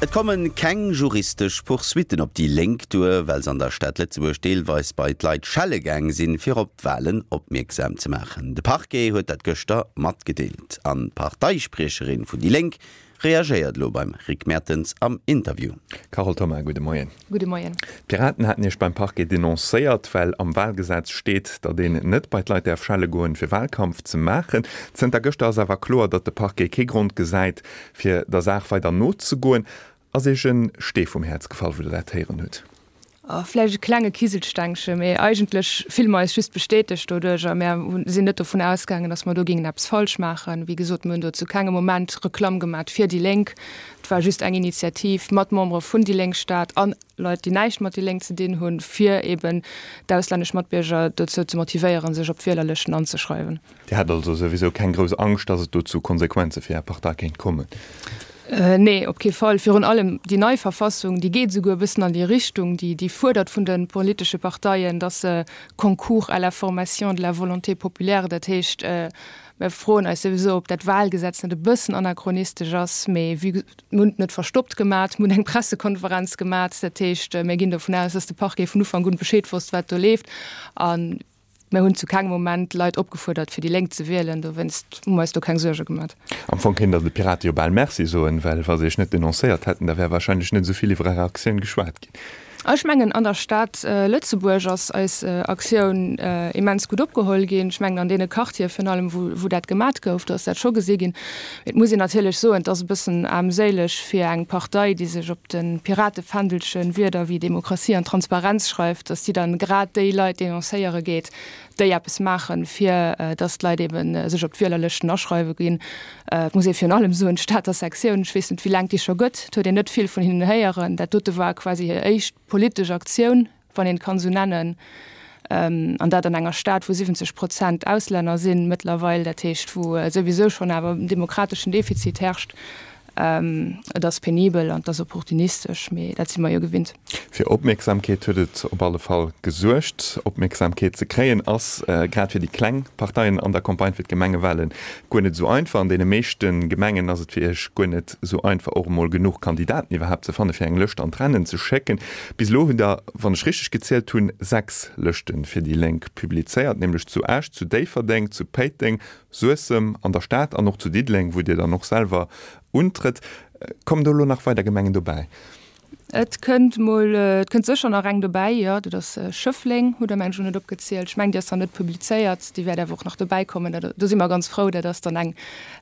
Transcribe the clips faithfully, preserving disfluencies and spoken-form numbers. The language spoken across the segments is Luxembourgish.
Et komme keng juristesch Poursuitten op déi Lénk duer, well se an der Stad Lëtzebuerg deelweis bei d'Leit schelle gaang sinn, fir op d'Walen opmierksam ze maachen. De Parquet huet dat gëschter matgedeelt. An d'Parteispriecherin vun déi Lénk reagéiert elo beim Rick Mertens am Interview. Carole Thoma, gudde Moien. Gudde Moien. D'Piraten haten Iech beim Parquet denoncéiert, well am Walgesetz steet, datt een net bei d'Leit däerf schelle goen, fir Walkampf ze maachen. Zënter gëschter ass awer kloer, datt de Parquet kee Grond gesäit, fir der Saach weider nozegoen. Ass Iech en Stee vum Häerz gefall, wou Der dat héieren hutt? Vläicht e klenge Kiselstengche, mee eigentlech fille mer eis just bestätegt doduerch a mär sinn net dovun ausgaangen, datt mer do géingen eppes falsch maachen. Wéi gesot, mir hunn do zu kengem Moment Reklamm gemat fir déi Lénk. Et war just eng Initiativ mat Membere vun déi Lénk Stad an Leit, déi näischt mat déi Lénk ze dinn hunn, fir eben d'auslännesch Matbierger dozou ze motivéieren, sech op d'Wielerlëschten anzeschreiwen. Dir hat also souwisou keng grouss Angscht, datt et do zu Konsequenze fir Är Partei kéint kommen? Nee, op kee Fall. Virun allem déi nei Verfassung, déi geet esouguer e bëssen an déi Richtung, déi, déi fuerdert vun de politesche Parteien, dass se concourent à la formation de la volonté populaire, dat heescht, mir froen eis souwisou, ob dat Wahlgesetz net e bëssen anachronistesch ass, mee wéi, mir hunn et net verstoppt gemat, mir hunn eng Pressekonferenz gemat, dat heescht, mir ginn dovun aus, dass de Parquet vun Ufank un Bescheed wosst, wat do leeft. A mir hunn zu kengem Moment Leit opgefuerdert, fir déi Lénk ze wielen, dowéinst hu mer eis do keng Suerge gemat. Am Fong kéint Der de Pirate jo bal Merci soen, well wa se Iech net denoncéiert hätten, da wär wahrscheinlech net esou vill iwwer Är Aktioun geschwat ginn. Ech mengen, an der Stad Lëtzebuerg ass eis Aktioun immens gutt opgeholl ginn. Ech mengen, an deene Quartiere virun allem, wou, wou dat gemat gouf, do ass dat scho gesi ginn. Mee et muss een natierlech soen, et ass e bëssen aarmséileg fir eng Partei, déi sech op de Piratefändelchen Wierder wéi Demokratie an Transparenz schreift, datt si dann grad déi Leit denoncéiere geet, déi eppes maachen, fir datt d'Leit ebe sech op d'Wielerlëschten aschreiwe ginn. Et muss ee virun allem soen, d'Stater Sektioun, ech weess net, wéi laang et déi scho gëtt, et huet een net vill vun hinnen héieren. Dat dote war quasi hir éischt politesch Aktioun, wann een et kann esou nennen, an dat an enger Stad, wou siwwenzeg Prozent Auslänner sinn mëttlerweil, dat heescht, wou souwisou schonn awer en demokrateschen Defizit herrscht. Et ass penibel an et ass opportunistesch, mee dat si mer jo gewinnt. Fir Opmierksamkeet huet et op alle Fall gesuergt. Opmierksamkeet ze kréien ass grad fir déi kleng Parteien an der Campagne fir d'Gemengewalen guer net esou einfach. An deene meeschte Gemengen ass et fir iech guer net esou einfach och emol genuch Kandidaten iwwerhaapt ze fanne fir eng Lëscht an d'Rennen ze schécken. Bis elo hutt der, wann ech richteg gezielt hunn, sechs Lëschte fir déi Lénk publizéiert, nämlech zu Esch, zu Déifferdeng, zu Péiteng, Suessem, an der Stad an och zu Diddeleng, wou Dir dann och selwer untrëtt. Kommen do elo nach weider Gemengen dobäi? Et kënnt mol, et kënnt sécher nach eng dobäi, jo. Dat ass Schëffleng, hutt Der mengen ech elo net opgezielt. Ech mengen, déi ass nach net publizéiert, déi wäert awer och nach dobäi kommen. Dat, do si mer ganz frou. Dat ass dann eng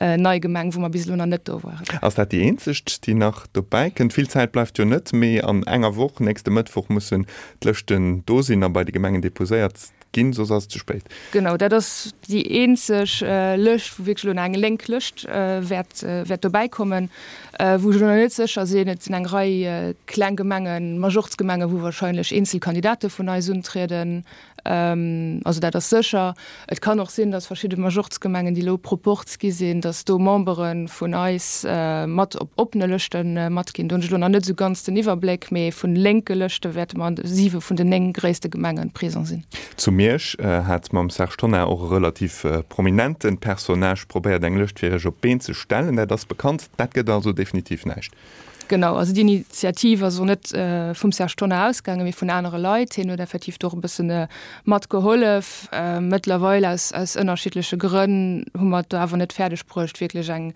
nei Gemeng, wou mer bis elo nach net do waren. Ass dat déi eenzeg, déi nach dobäi kënnt? Vill Zäit bleift jo net méi. An enger Woch, nächste Mëttwoch, mussen d'Lëschten do sinn a bei de Gemengen deposéiert ginn, soss ass et ze spéit. Genau, dat ass déi eenzeg Lëscht, wou wierklech elo nach eng lénk Lëscht wäert, wäert dobäi kommen. Wou ech elo nach net sécher sinn, et sinn eng Rei kleng Gemengen, Majorzgemengen, wou wahrscheinlech eenzel Kandidate vun eis untrieden. Also dat ass sécher. Et kann och sinn, datt verschidde Majorzgemengen, déi elo Proporz gi sinn, datt do Membere vun eis mat op oppene Lëschte matginn. Do hunn ech elo nach net esou ganz den Iwwerbléck, mee vun lénke Lëschte wäerte mer an siwe vun den néng gréisste Gemenge présent sinn. Zu Miersch hat mam Serge Tonnar och e relativ prominente Personnage probéiert, eng Lëscht fir Iech op d'Been ze stellen. Dat ass bekannt. Dat gëtt also definitiv näischt. Genau, also déi Initiativ ass och net vum Serge Tonnar ausgaangen, mee vun anere Leit. Hien huet effektiv do och e bëssen mat gehollef. Mëttlerweil, aus, aus ënnerschiddleche Grënn, hu mer et do awer net fäerdeg bruecht, wierklech eng,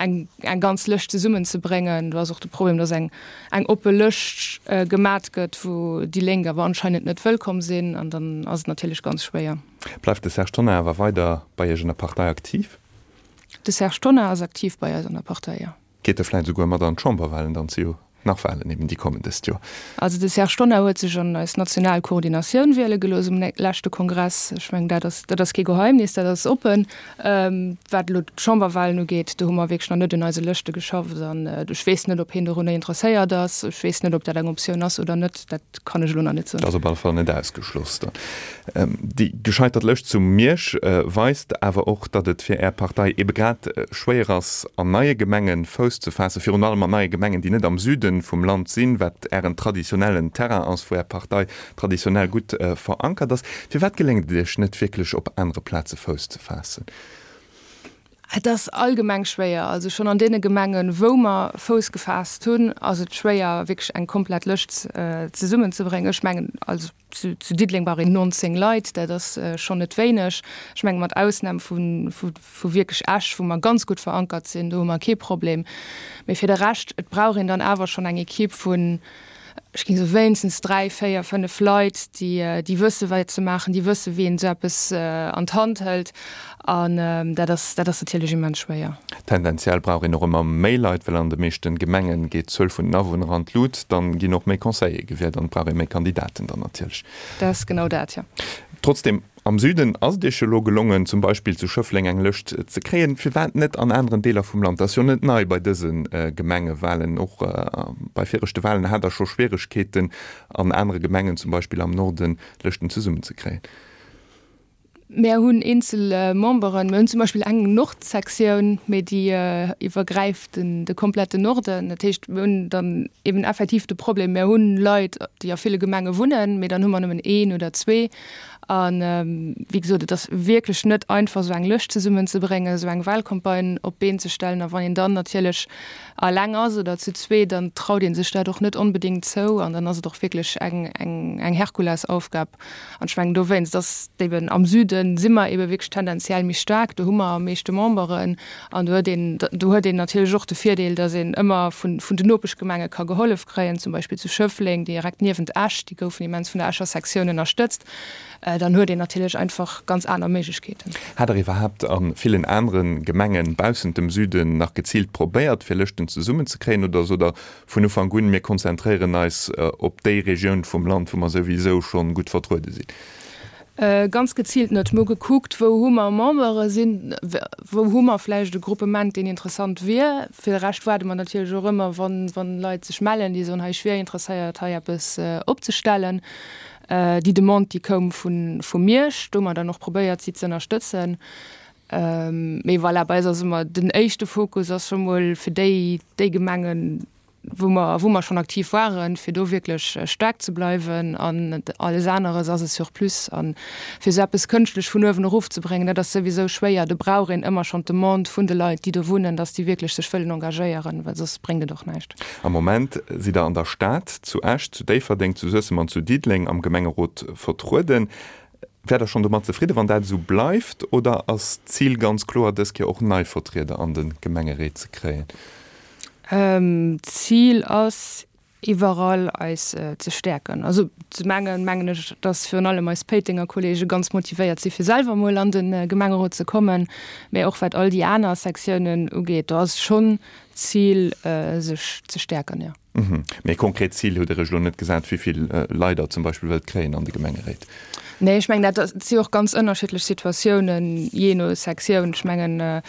eng, eng ganz Lëscht zesummenzebréngen. Do ass och de Problem, dass eng, eng oppe Lëscht gemat gëtt, wou déi Lénk awer anscheinend net wëllkomm sinn, an dann ass et natierlech ganz schwéier. Bleift de Serge Tonnar awer weider bei Iech an der Partei aktiv? De Serge Tonnar ass aktiv bei eis an der Partei, jo. Geet e vläit esouguer mat an d'Chamberwahlen dann? Et si jo nach Wahlen eben, déi kommen dëst Joer. Also de Serge Tonnar huet sech an eis national Koordinatioun wiele gelooss um leschte Kongress. Ech mengen, dat ass, dat ass kee Geheimnis, dat ass oppen. Wat elo d'Chamberwahlen ugeet, do hu mer wierklech nach net un eise Lëschte geschafft an ech weess net, ob hien dorunner interesséiert ass. Ech weess net, ob dat eng Optioun ass oder net. Dat kann ech elo nach net soen. Dat ass op alle Fall net ausgeschloss dann. Déi gescheitert Lëscht zu Miersch weist awer och, datt et fir Är Partei ebe grad schwéier ass, an neie Gemenge Fouss ze faassen, virun allem an neie Gemengen, déi net am Süde vum Land sinn, wat Ären traditionellen Terrain ass, wou Är Partei traditionell gutt verankert ass. Firwat geléngt et Iech net wierklech, op anere Plaze Fouss ze faassen? Et ass allgemeng schwéier. Also schonn an deene Gemengen, wou mer Fouss gefaasst hunn, ass et schwéier, wierklech eng komplett Lëscht zesummenzebréngen. Ech mengen, also zu Diddeleng brauch een nonzéng Leit, dat ass schonn net wéineg. Ech mengen, mat Ausnam vu wierklech Esch, wou mer ganz gutt verankert sinn, do hu mer kee Problem. Mee fir de Rescht, et brauch een dann awer schonn eng Ekipp vun, ech géing soen, wéinstens dräi, véier, fënnef Leit, déi, déi wësse wat se maachen, déi wësse wéi een esou eppes an d'Hand hëlt. An dat ass, dat ass natierlech immens schwéier. Tendenziell brauch een och ëmmer méi Leit, well an de meeschte Gemenge geet d'Zuel vun den Awunner an d'Lut. Dann ginn och méi Conseillere gewielt an et brauch ee méi Kandidaten dann natierlech. Dat ass genau dat, jo. Trotzdem, am Süden ass et Iech jo elo gelongen, zum Beispill zu Schëffleng eng Lëscht ze kréien. Firwat net an aneren Deeler vum Land? Dat ass jo net nei bei dëse Gemengewalen. Och bei viregte Walen hat Der scho Schwieregkeeten, an anere Gemengen, zum Beispill am Norden, Lëschten zesummenzekréien. Mär hunn eenzel Memberen. Mir hunn zum Beispill eng Nordsektioun, mee déi iwwergräift de kompletten Norden. Dat heescht, mir hunn dann eben effektiv de Problem, mir hunn Leit, déi a ville Gemenge wunnen, mee dann hu mer nëmmen een oder zwee. A wéi gesot, et ass wierklech net einfach, esou eng Lëscht zesummenzebréngen, esou eng Wahlcampagne op d'Been ze stellen. A wann een dann natierlech eleng ass oder zu zwee, dann traut ee sech dat och net onbedéngt zou an dann ass et och wierklech eng Herkulesaufgab. An ech mengen dowéinst ass eben am Süde si mer ebe wierklech tendenziell méi staark, do hu mer am meeschte Memberen an do huet een, do huet een natierlech och de Virdeel, datt een ëmmer vun, vun den Nopeschgemenge ka gehollef kréien, zum Beispill zu Schëffleng, direkt niewent Esch, déi goufen immens vun der Escher Sektioun ënnerstëtzt. Dann huet een natierlech einfach ganz aner Méiglechkeeten. Hat Der iwwerhaapt a villen anere Gemengen baussent dem Süden nach geziilt probéiert, fir Lëschten zesummenzekréien oder sot Der vun Ufank un, mir konzentréieren eis op déi Regioun vum Land, wou mer souwisou scho gutt vertruede sinn? Ganz geziilt net. Mir hu gekuckt, wou hu mer Membere sinn, wou hu mer vläicht e Gruppement, deen interessant wier. Fir de Rescht waarde mer natierlech och ëmmer, wann Leit sech mellen, déi soen, hei ech wier interesséiert, hei eppes opzestellen. Déi Demande, déi koum vu Miersch. Do hu mer dann och probéiert, si ze ënnerstëtzen. Mee voilà, bei eis ass ëmmer den éischte Fokus ass scho mol fir déi, déi Gemengen, wou mer, wou mer schonn aktiv waren, fir do wierklech staark ze bleiwen. An alles aneres ass e Surplus. A fir esou eppes kënschtlech vun uewen erofzebréngen, dat ass souwisou schwéier. Do brauch een ëmmer schonn d'Demande vun de Leit, déi do wunnen, datt déi wierklech sech wëllen engagéieren, well soss bréngt et och näischt. Am Moment sidd Der an der Stad, zu Esch, zu Déifferdeng, zu Suessem an zu Diddeleng am Gemengerot vertrueden. Wäert Der schonn domat zefridde wann dat esou bleift oder ass d'Zil ganz kloer dës Kéier och nei Vertrieder an de Gemengeréit ze kréien? D'Zil ass iwwerall eis ze stäerken. Also zum engen mengen ech, datt virun allem eis Péitenger Kollege ganz motivéiert si fir selwer mol an de Gemengerot ze kommen, mä och wat all déi aner Sektiounen ugeet, do ass schonn d'Zil sech ze stäerken, jo. Mee e konkret Zil hutt Der Iech elo net gesat, wéi vill Leit Der zum Beispill wëllt kréien an de Gemengeréit? Nee, ech mengen, dat si och ganz ënnerschiddlech Situatiounen, jee no Sektioun. Ech mengen,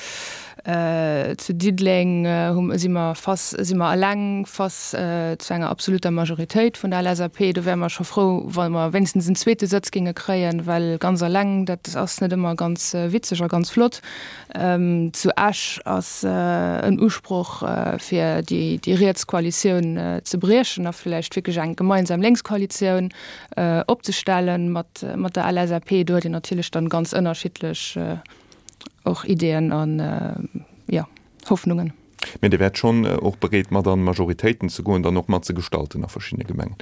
zu Diddeleng hu si mer face, si mer eleng face zu enger absoluter Majoritéit vun der L S A P. Do wäre mer scho frou, wa mer wéinstens en zweete Sëtz géinge kréien, well ganz eleng, dat ass net ëmmer ganz witzeg a ganz flott. Zu Esch ass en Usproch, fir déi riets Koalitioun ze briechen a vläicht wierklech eng gemeinsam lénks Koalitioun opzestellen mat der L S A P. Do huet een natierlech dann ganz ënnerschiddlech och Ideeën an, jo, Hoffnungen. Mee Dir wäert schonn och bereet, mat an Majoritéiten ze goen, dann och mat ze gestalten a verschiddene Gemengen?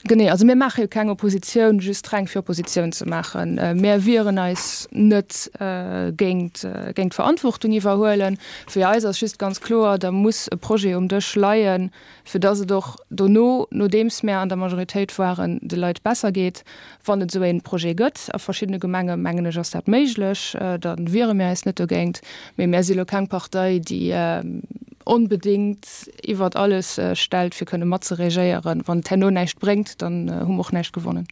Genee, also mir maache jo keng Oppositioun just reng fir Oppositioun ze maachen. Mir wieren eis net géint géint Verantwortung iwwerhuelen. Fir eis ass just ganz kloer, da muss e Projet um Dësch leien, fir datt et och dono, nodeems mär an der Majoritéit waren, de Leit besser geet. Wann et esou ee Projet gëtt, a verschiddene Gemenge mengen ech ass dat méiglech, da wiere mir eis net dogéint. Mee mär si lo keng Partei, déi onbedéngt iwwert alles stellt, fir kënne matzeregéieren. Wann et herno näischt bréngt, dann hu mer och näischt gewonnen.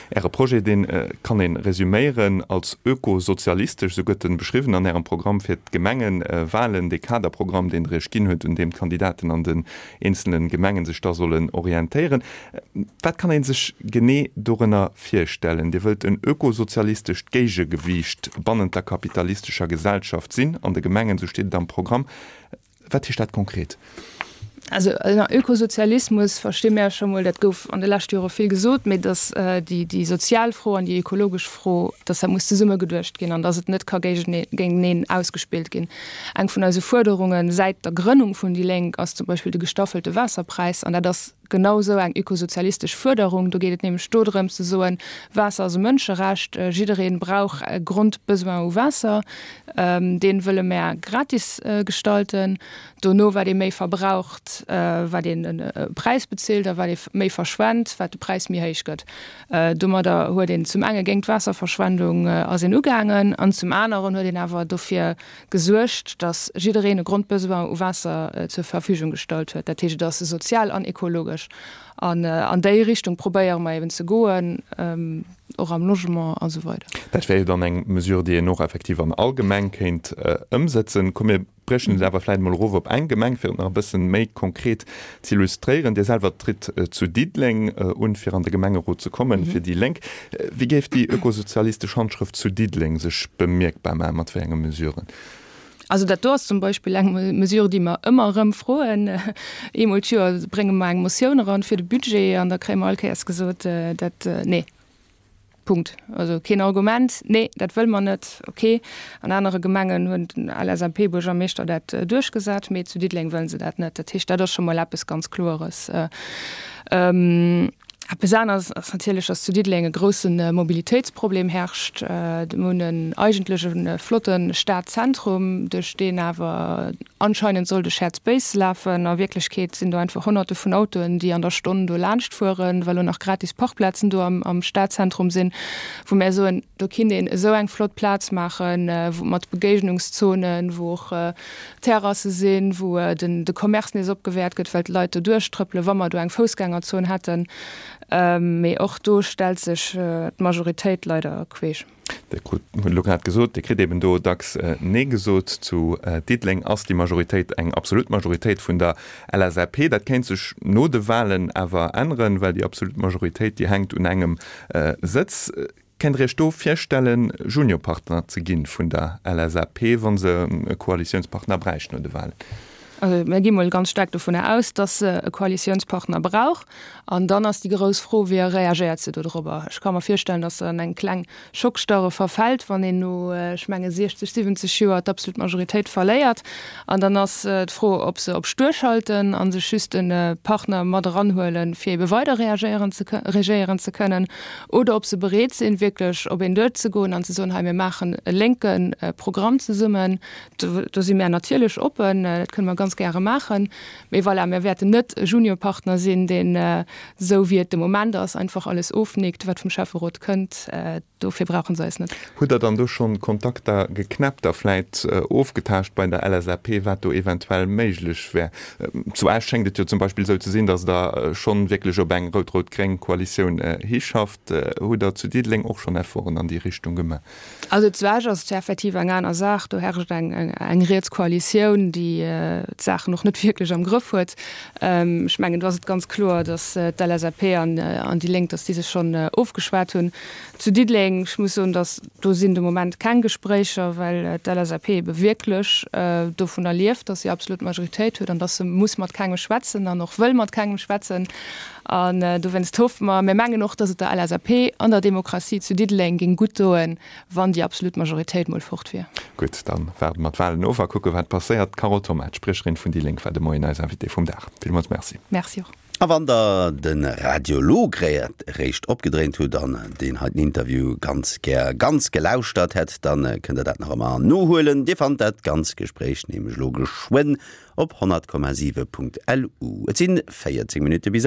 Äre Projet, dee kann ee resuméieren als ökosozialistesch, esou gëtt en beschriwwen an Ärem Programm fir d'Gemengewalen, dee Kaderprogramm, deen Der Iech ginn huet, un deem d'Kandidaten an den eenzele Gemengen sech da sollen orientéieren. Wat kann ee sech genee dorënner virstellen? Dir wëllt en ökosozialistescht Géigegewiicht bannent der kapitalistescher Gesellschaft sinn an de Gemengen, esou steet et am Programm. Wat heescht dat konkret? Also ënner Ökosozialismus versti mär scho mol, dat gouf an de leschte Jore vill gesot, mee datt déi, déi sozial Fro an déi ökologesch Fro, datt dat muss zesumme geduecht ginn an datt et net ka géinteneen ausgespillt ginn. Eng vun eise Fuerderunge säit der Grënnung vun déi Lénk ass zum Beispill de gestaffelte Waasserpräis an dat ass genau esou eng ökosozialistesch Fuerderung. Do geet et nämlech dodrëms ze soen, Waasser ass e Mënscherecht, jidderee brauch e Grondbesoin u Waasser, dee wëlle mär gratis gestalten. Dono, wat ee méi verbraucht, wat een e Präis bezilt a wat ee méi verschwent, wat de Präis méi héich gëtt. Domadder huet een zum enge géint d'Waasserverschwendung ass een ugaangen an zum aneren huet een awer dofir gesuergt, datt jiddereen e Grondbesoin u Waasser zur Verfügung gestallt huet. Dat heescht, et ass sozial an ekologesch. An an déi Richtung probéiere mer eben ze goen, och am Logement a sou weider. Dat wär jo dann eng Mesure, déi een och effektiv an all Gemeng kéint ëmsëtzen. Komm mir briechen et awer vläicht emol erof op eng Gemeng, fir et nach e bëssen méi konkret z'illustréieren. Dir selwer tritt zu Diddeleng un, fir an de Gemengerot ze kommen, fir déi Lénk. Wéi géif déi ökosozialistesch Handschrëft zu Diddeleng sech bemierkbar maachen, mat wéi enge Mesuren? Also dat do ass zum Beispill eng Mesure, déi mer ëmmer erëm froen. Eemol d'Joer brénge mer eng Motioun eran fir de Budget an da kréie mer all Kéiers gesot, dat, nee. Punkt. Also keen Argument, nee, dat wëlle mer net. Okay. An anere Gemengen hunn den LSAP-Buergermeeschter dat duerchgesat, mee zu Diddeleng wëlle se dat net. Dat heescht, dat ass scho mol eppes ganz Kloeres. Eppes aneres ass natierlech, dass zu Diddeleng e grousse Mobilitéitsproblem herrscht. Mir hunn en eigentlech e flotte Stadzentrum, duerch deen awer anscheinend soll de Shared Space lafen. A Wierklechkeet sinn do einfach Honnerte vun Autoen, déi an der Stonn do laanscht fueren, well och nach gratis Parkplazen do am Stadzentrum sinn, wou mär soen, do kinnt een esou eng flott Plaz maachen, mat Begéignungszonen, wou och Terrasse sinn, wou de Commerce nees opgewäert gëtt, well d'Leit do duerchtrëppelen, wa mer do eng Foussgängerzon hätten. Mee och do stellt sech d'Majoritéit leider queesch. Dir krut, hutt elo grad gesot, Dir kritt eben do dacks Nee gesot. Zu Diddeleng ass déi Majoritéit eng absolut Majoritéit vun der LSAP. Dat kéint sech no de Walen awer änneren, well déi absolut Majoritéit, déi hänkt un engem Sëtz. Kennt Der Iech do virstellen, Juniorpartner ze ginn vun der LSAP, wa se e Koalitiounspartner bräicht no de Walen? Also mir gi mol ganz staark dovunner aus, dass se e Koalitiounspartner brauch. An dann ass déi grouss Fro, Wéi reagéiert se dodrobber? Ech ka mer virstellen, dass se an eng kleng Schockstarre verfält, wann een no, ech menge siechzeg, siwwenzeg Joer d'absolut Majoritéit verléiert. An dann ass d'Fro, ob se op stur schalten a sech just e Partner mat eranhuelen, fir ebe weider reagéieren ze regéieren ze kënnen, oder ob se bereet sinn, wierklech op een duerzegoen an ze soen, hei mir maachen e lénke Programm zesummen. Do, do si mär natierlech oppen, dat kënne mer ganz gäre maachen. Mee voilà, mir wäerten net e Juniorpartner sinn, deen, esou wéi et de Moment ass, einfach alles ofnickt, wat vum Schäfferot kënnt. Dofir brauche se eis net. Hutt Der dann do schonn Kontakter geknäppt a vläit ofgetaascht bei der LSAP, wat do eventuell méiglech wär? Zu Esch schéngt et jo zum Beispill esou ze sinn, datt Der schonn wierklech op eng rout-rout-gréng Koalitioun hischafft. Hutt Der zu Diddeleng och schonn Efforten an déi Richtung gemaach? Also zu Esch ass et effektiv eng aner Saach. Do herrscht eng, eng riets Koalitioun, déi d'Saachen och net wierklech am Grëff huet. Ech mengen, do ass et ganz kloer, datt d'LSAP an, an déi Lénk, datt déi sech schonn ofgeschwat hunn. Zu Diddeleng, ech muss soen, datt do sinn de Moment keng Gespréicher, well d'LSAP ebe wierklech dovunner lieft, datt si absolut Majoritéit huet an datt se muss mat kengem schwätzen an och wëll mat kengem schwätzen. An dowéinst hoffe mer, mir mengen och, datt et der LSAP an der Demokratie zu Diddeleng géing gutt doen, wann déi absolut Majoritéit mol fort wier. Gutt, da waarde mer d'Walen of a kucke wat passéiert. D'Carole Thoma, d'Spriecherin vun déi Lénk, war de Moien eis Invitée vum Dag. Villmools Merci. Merci och. A wann der de Radio elo grad eréischt opgedréint hutt an deen heiten Interview ganz gär ganz gelauschtert hätt, dann kënnt der dat nach ëmmer nohuelen. Dir fannt dat ganz Gespréich nämlech elo geschwënn op honnert Komma siwe Punkt LU. Et sinn véierzéng Minutte bis.